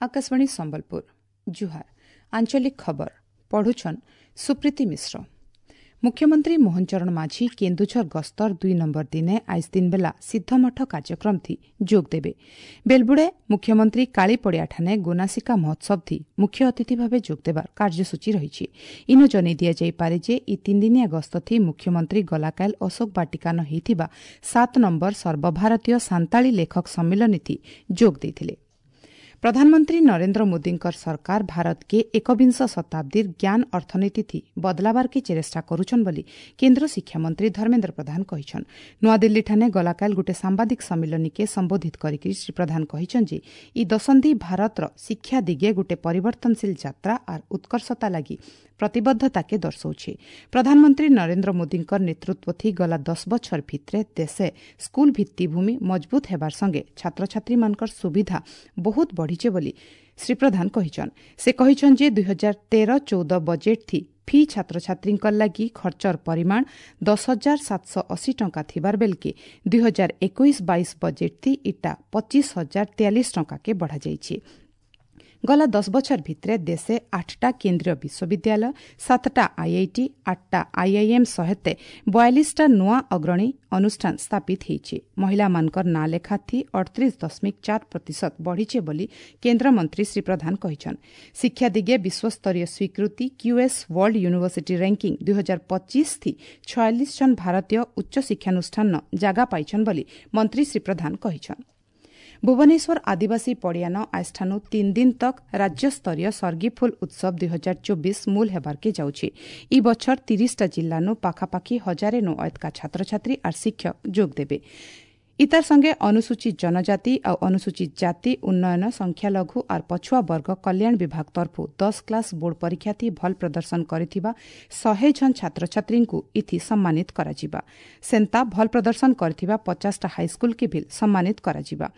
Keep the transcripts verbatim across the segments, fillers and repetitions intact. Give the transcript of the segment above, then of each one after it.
ଆକାଶବାଣୀ ସମ୍ବଲପୁର ଜୁହାର ଆଞ୍ଚଳିକ ଖବର ପଢୁଛନ୍ ସୁପ୍ରୀତି ମିଶ୍ର ମୁଖ୍ୟମନ୍ତ୍ରୀ ମୋହନ ଚରଣ ମାଝୀ କେନ୍ଦୁଝର ଗସ୍ତର ଦୁଇ ନମ୍ବର ଦିନେ ଆଇଜ୍ ଦିନବେଲା ସିଦ୍ଧମଠ କାର୍ଯ୍ୟକ୍ରମଥି ଯୋଗ ଦେବେ ବେଲବୁଡ଼େ ମୁଖ୍ୟମନ୍ତ୍ରୀ କାଳିପଡ଼ିଆଠାନେ ଗୋନାସିକା ମହୋତ୍ସବଥି ମୁଖ୍ୟ ଅତିଥି ଭାବେ ଯୋଗ ଦେବାର କାର୍ଯ୍ୟସୂଚୀ ରହିଛି ଇନୁ ଜଣାଇ ଦିଆଯାଇପାରେ ଯେ ଇ ତିନିଦିନିଆ ଗସ୍ତଥି ମୁଖ୍ୟମନ୍ତ୍ରୀ ଗଲାକାଲ ଅଶୋକ ବାଟିକାନ ହୋଇଥିବା ସାତ ନମ୍ବର ସର୍ବଭାରତୀୟ ସାନ୍ତାଳୀ ଲେଖକ ସମ୍ମିଳନୀଥି ଯୋଗ ଦେଇଥିଲେ ପ୍ରଧାନମନ୍ତ୍ରୀ ନରେନ୍ଦ୍ର ମୋଦୀଙ୍କର ସରକାର ଭାରତକେ ଏକବିଂଶ ଶତାବ୍ଦୀର ଜ୍ଞାନ ଅର୍ଥନୀତିଥି ବଦଲାବାର୍କେ ଚେଷ୍ଟା କରୁଛନ୍ ବୋଲି କେନ୍ଦ୍ର ଶିକ୍ଷାମନ୍ତ୍ରୀ ଧର୍ମେନ୍ଦ୍ର ପ୍ରଧାନ କହିଛନ୍ ନୂଆଦିଲ୍ଲୀଠାନେ ଗଲାକାଲ ଗୋଟିଏ ସାମ୍ବାଦିକ ସମ୍ମିଳନୀକେ ସମ୍ବୋଧିତ କରିକି ଶ୍ରୀ ପ୍ରଧାନ କହିଛନ୍ ଯେ ଇ ଦଶନ୍ଧି ଭାରତର ଶିକ୍ଷା ଦିଗେ ଗୋଟିଏ ପରିବର୍ତ୍ତନଶୀଳ ଯାତ୍ରା ଆର୍ ଉତ୍କର୍ଷତା ଲାଗି ପ୍ରତିବଦ୍ଧତାକେ ଦର୍ଶାଉଛି ପ୍ରଧାନମନ୍ତ୍ରୀ ନରେନ୍ଦ୍ର ମୋଦୀଙ୍କର ନେତୃତ୍ୱଥି ଗଲା ଦଶ ବଛର ଭିତରେ ଦେଶେ ସ୍କୁଲ ଭିତ୍ତିଭୂମି ମଜବୁତ ହେବାର ସଙ୍ଗେ ଛାତ୍ରଛାତ୍ରୀମାନଙ୍କର ସୁବିଧା ବହୁତ ବଢ଼ିଛେ ବୋଲି ଶ୍ରୀ ପ୍ରଧାନ କହିଛନ୍ ସେ କହିଛନ୍ ଯେ ଦୁଇ ହଜାର ତେର ଚଉଦ ବଜେଟ୍ଥି ଫି ଛାତ୍ରଛାତ୍ରୀଙ୍କ ଲାଗି ଖର୍ଚ୍ଚର ପରିମାଣ ଦଶ ହଜାର ସାତଶହ ଅଶୀ ଟଙ୍କା ଥିବାର ବେଲକେ ଦୁଇ ହଜାର ଏକୋଇଶ ବାଇଶ ବଜେଟ୍ଥି ଇଟା ପଚିଶ ହଜାର ତେୟାଳିଶ ଟଙ୍କାକେ ବଢ଼ାଯାଇଛି ଗଲା ଦଶ ବଛର ଭିତରେ ଦେଶେ ଆଠଟା କେନ୍ଦ୍ରୀୟ ବିଶ୍ୱବିଦ୍ୟାଳୟ ସାତଟା ଆଇଆଇଟି ଆଠଟା ଆଇଆଇଏମ୍ ସହିତ ବୟାଳିଶଟା ନୂଆ ଅଗ୍ରଣୀ ଅନୁଷ୍ଠାନ ସ୍ଥାପିତ ହୋଇଛି ମହିଳାମାନଙ୍କର ନାଁ ଲେଖାଥି ଅଠତିରିଶ ଦଶମିକ ଚାର ପ୍ରତିଶତ ବଢ଼ିছে ବୋଲି କେନ୍ଦ୍ରମନ୍ତ୍ରୀ ଶ୍ରୀ ପ୍ରଧାନ କହିଛନ୍ ଶିକ୍ଷା ଦିଗେ ବିଶ୍ୱସ୍ତରୀୟ ସ୍ୱୀକୃତି କ୍ୟୁଏସ୍ ୱାର୍ଲଡ ୟୁନିଭର୍ସିଟି ର୍ୟାଙ୍କିଂ ଦୁଇ ହଜାର ପଚିଶ ଥି ଛୟାଳିଶ ଜଣ ଭାରତୀୟ ଉଚ୍ଚ ଶିକ୍ଷାନୁଷ୍ଠାନ ଜାଗା ପାଇଛନ୍ ବୋଲି ମନ୍ତ୍ରୀ ଶ୍ରୀ ପ୍ରଧାନ କହିଛନ୍ ଭୁବନେଶ୍ୱର ଆଦିବାସୀ ପଡ଼ିଆନ ଆଜଠାନୁ ତିନି ଦିନ ତକ୍ ରାଜ୍ୟସ୍ତରୀୟ ସର୍ଗିଫୁଲ ଉତ୍ସବ ଦୁଇ ହଜାର ଚବିଶ ମୂଲ ହେବାର୍କେ ଯାଉଛି ଇ ବଛର ତିରିଶଟା ଜିଲ୍ଲାନୁ ପାଖାପାଖି ହଜାରେ ନୁ ଅୟତକା ଛାତ୍ରଛାତ୍ରୀ ଆର୍ ଶିକ୍ଷକ ଯୋଗ ଦେବେ ଇତାର ସଙ୍ଗେ ଅନୁସୂଚିତ ଜନଜାତି ଆଉ ଅନୁସୂଚିତ ଜାତି ଉନ୍ନୟନ ସଂଖ୍ୟାଲଘୁ ଆର୍ ପଛୁଆ ବର୍ଗ କଲ୍ୟାଣ ବିଭାଗ ତରଫୁ ଦଶ କ୍ଲାସ ବୋର୍ଡ ପରୀକ୍ଷାଥି ଭଲ ପ୍ରଦର୍ଶନ କରିଥିବା ଶହେ ଜଣ ଛାତ୍ରଛାତ୍ରୀଙ୍କୁ ଇଥି ସମ୍ମାନିତ କରାଯିବା ସେନ୍ତା ଭଲ ପ୍ରଦର୍ଶନ କରିଥିବା ପଚାଶଟା ହାଇସ୍କୁଲକେ ବି ସମ୍ମାନିତ କରାଯିବା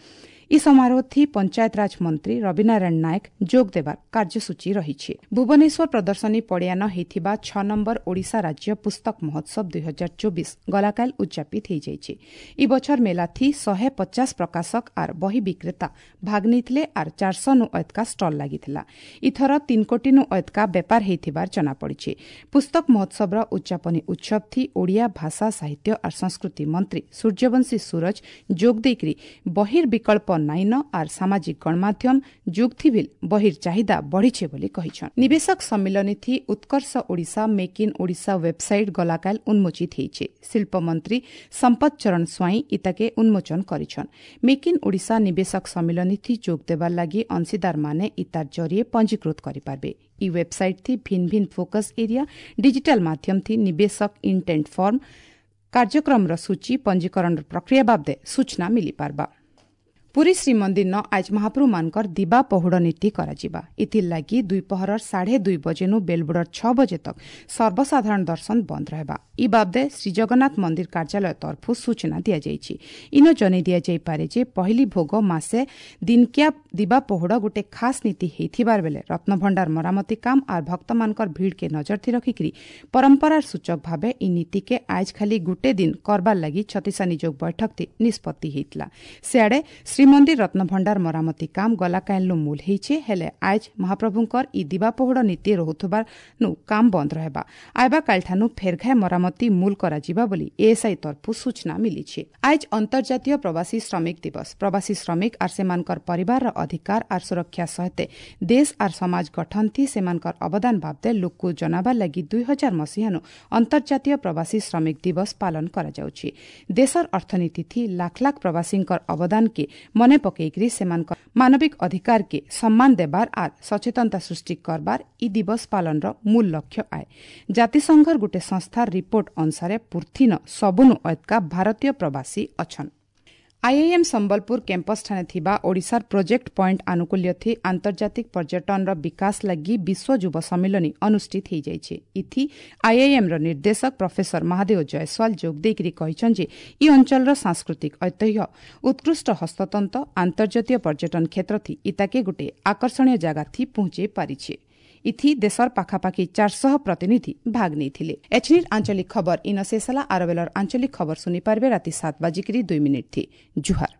ଇ ସମାରୋହଥି ପଞ୍ଚାୟତରାଜ ମନ୍ତ୍ରୀ ରବିନାରାୟଣ ନାୟକ ଯୋଗ ଦେବାର କାର୍ଯ୍ୟସୂଚୀ ରହିଛି ଭୁବନେଶ୍ୱର ପ୍ରଦର୍ଶନୀ ପଡ଼ିଆନ ହୋଇଥିବା ଛଅ ନମ୍ବର ଓଡ଼ିଶା ରାଜ୍ୟ ପୁସ୍ତକ ମହୋତ୍ସବ ଦୁଇ ହଜାର ଚବିଶ ଗଲାକାଲ ଉଦ୍ଯାପିତ ହୋଇଯାଇଛି ଇ ବଛର ମେଲାଥି ଶହେ ପଚାଶ ପ୍ରକାଶକ ଆର୍ ବହି ବିକ୍ରେତା ଭାଗ ନେଇଥିଲେ ଆର୍ ଚାରିଶହ ନୁ ଅୟତକା ଷ୍ଟଲ୍ ଲାଗିଥିଲା ଇଥର ତିନି କୋଟି ନୁ ଅୟତକା ବେପାର ହୋଇଥିବାର ଜଣାପଡ଼ିଛି ପୁସ୍ତକ ମହୋତ୍ସବର ଉଦ୍ଯାପନୀ ଉତ୍ସବଥି ଓଡ଼ିଆ ଭାଷା ସାହିତ୍ୟ ଆର୍ ସଂସ୍କୃତି ମନ୍ତ୍ରୀ ସୂର୍ଯ୍ୟବଂଶୀ ସୂରଜ ଯୋଗ ଦେଇକରି ବହିର ବିକଳ୍ପ ନାଇନ ଆର୍ ସାମାଜିକ ଗଣମାଧ୍ୟମ ଯୁଗଥିଭିଲ୍ ବହିର ଚାହିଦା ବଢ଼ିছে ବୋଲି କହିଛନ୍ ନିବେଶକ ସମ୍ମିଳନୀଥି Utkarsh Odisha make in Odisha website ଗଲାକାଲ ଉନ୍ମୋଚିତ ହୋଇছে ଶିଳ୍ପମନ୍ତ୍ରୀ ସମ୍ପଦ ଚରଣ ସ୍ୱାଇଁ ଇତାକେ ଉନ୍ମୋଚନ କରିଛନ୍ ମେକ୍ ଇନ୍ ଓଡ଼ିଶା ନିବେଶକ ସମ୍ମିଳନୀଥି ଯୋଗ ଦେବାର ଲାଗି ଅଂଶୀଦାରମାନେ ଇତାର ଜରିଏ ପଞ୍ଜୀକୃତ କରିପାରିବେ ଇ ୱେବସାଇଟ୍ ଥି ଭିନ୍ ଭିନ୍ ଫୋକସ୍ ଏରିଆ ଡିଜିଟାଲ ମାଧ୍ୟମ ଥି ନିବେଶକ ଇଣ୍ଟେଣ୍ଟ ଫର୍ମ କାର୍ଯ୍ୟକ୍ରମର ସୂଚୀ ପଞ୍ଜୀକରଣର ପ୍ରକ୍ରିୟା ବାବଦେ ସୂଚନା ମିଳିପାରବା ପୁରୀ ଶ୍ରୀମନ୍ଦିରନ ଆଜ ମହାପ୍ରଭୁମାନଙ୍କର ଦିବା ପହୁଡ଼ ନୀତି କରାଯିବା ଏଥିର୍ଲାଗି ଦ୍ୱିପହରର ସାଢ଼େ ଦୁଇ ବଜେନୁ ବେଲବୁଡ଼ର ଛଅ ବଜେ ତକ୍ ସର୍ବସାଧାରଣ ଦର୍ଶନ ବନ୍ଦ ରହିବା ଇ ବାବଦେ ଶ୍ରୀଜଗନ୍ନାଥ ମନ୍ଦିର କାର୍ଯ୍ୟାଳୟ ତରଫରୁ ସୂଚନା ଦିଆଯାଇଛି ଇନ ଜଣାଇ ଦିଆଯାଇପାରେ ଯେ ପହିଲି ଭୋଗ ମାସେ ଦିନକିଆ ଦିବା ପହୁଡ଼ ଗୋଟେ ଖାସ୍ ନୀତି ହେଇଥିବାର ବେଲେ ରତ୍ନଭଣ୍ଡାର ମରାମତି କାମ ଆର୍ ଭକ୍ତମାନଙ୍କର ଭିଡ଼କେ ନଜରଥି ରଖିକିରି ପରମ୍ପରାର ସୂଚକ ଭାବେ ଇ ନୀତିକେ ଆଜ ଖାଲି ଗୁଟେ ଦିନ କରବାର ଲାଗି ଛତିଶା ନିଯୋଗ ବୈଠକଥି ନିଷ୍ପତ୍ତି ହେଇଥିଲା ସିଆଡ଼େ ଶ୍ରୀମନ୍ଦିର ରତ୍ନଭଣ୍ଡାର ମରାମତି କାମ ଗଲାକାଇଲୁ ମୂଲ ହେଇଛେ ହେଲେ ଆଜ ମହାପ୍ରଭୁଙ୍କର ଇ ଦିବା ପହୁଡ଼ ନୀତି ରହୁଥିବାର ନୁ କାମ ବନ୍ଦ ରହିବା ଆଇବା କାଲଠାନୁ ଫେରଘାଏ ମରାମତି ମୂଲ କରାଯିବା ବୋଲି ଏଏସ୍ଆଇ ତରଫରୁ ସୂଚନା ମିଳିଛି ଆଜ ଅନ୍ତର୍ଜାତୀୟ ପ୍ରବାସୀ ଶ୍ରମିକ ଦିବସ ପ୍ରବାସୀ ଶ୍ରମିକ ଆର୍ ସେମାନଙ୍କର ପରିବାରର ଅଧିକାର ଆର୍ ସୁରକ୍ଷା ସହିତ ଦେଶ ଆର୍ ସମାଜ ଗଠନଥି ସେମାନଙ୍କର ଅବଦାନ ବାବଦେ ଲୋକକୁ ଜଣାବାର ଲାଗି ଦୁଇ ହଜାର ମସିହାନୁ ଅନ୍ତର୍ଜାତୀୟ ପ୍ରବାସୀ ଶ୍ରମିକ ଦିବସ ପାଳନ କରାଯାଉଛି ଦେଶର ଅର୍ଥନୀତିଥି ଲାଖ ଲାଖ ପ୍ରବାସୀଙ୍କର ଅବଦାନକେ ମନେ ପକେଇକରି ସେମାନଙ୍କ ମାନବିକ ଅଧିକାରକେ ସମ୍ମାନ ଦେବାର ଆର୍ ସଚେତନତା ସୃଷ୍ଟି କରବାର ଇ ଦିବସ ପାଳନର ମୂଳ ଲକ୍ଷ୍ୟ ଆଏ ଜାତିସଂଘର ଗୋଟେ ସଂସ୍ଥାର ରିପୋର୍ଟ ଅନୁସାରେ ପୃଥିନ ସବୁନୁ ଅୟତକା ଭାରତୀୟ ପ୍ରବାସୀ ଅଛନ୍ ଆଇଆଇଏମ୍ ସମ୍ବଲପୁର କ୍ୟାମ୍ପସ୍ଠାରେ ଥିବା ଓଡ଼ିଶାର ପ୍ରୋଜେକ୍ଟ ପଏଣ୍ଟ ଆନୁକୂଲ୍ୟଥି ଆନ୍ତର୍ଜାତିକ ପର୍ଯ୍ୟଟନର ବିକାଶ ଲାଗି ବିଶ୍ୱ ଯୁବ ସମ୍ମିଳନୀ ଅନୁଷ୍ଠିତ ହୋଇଯାଇଛି ଇଥି ଆଇଆଇଏମ୍ର ନିର୍ଦ୍ଦେଶକ ପ୍ରଫେସର ମହାଦେବ ଜୟସ୍ୱାଲ ଯୋଗ ଦେଇକରି କହିଛନ୍ତି ଯେ ଇ ଅଞ୍ଚଳର ସାଂସ୍କୃତିକ ଐତିହ୍ୟ ଉତ୍କୃଷ୍ଟ ହସ୍ତତନ୍ତ ଆନ୍ତର୍ଜାତୀୟ ପର୍ଯ୍ୟଟନ କ୍ଷେତ୍ରଥି ଇତାକେ ଗୋଟିଏ ଆକର୍ଷଣୀୟ ଜାଗାଥି ପହଞ୍ଚେଇ ପାରିଛି ଇଥି ଦେଶର ପାଖାପାଖି ଚାରିଶହ ପ୍ରତିନିଧି ଭାଗ ନେଇଥିଲେ ଏଛନିର ଆଞ୍ଚଳିକ ଖବର ଇନ ଶେଷ ହେଲା ଆରବେଲର ଆଞ୍ଚଳିକ ଖବର ଶୁଣିପାରିବେ ରାତି ସାତ ବାଜିକିରି ଦୁଇ ମିନିଟ୍ ଥି ଜୁହାର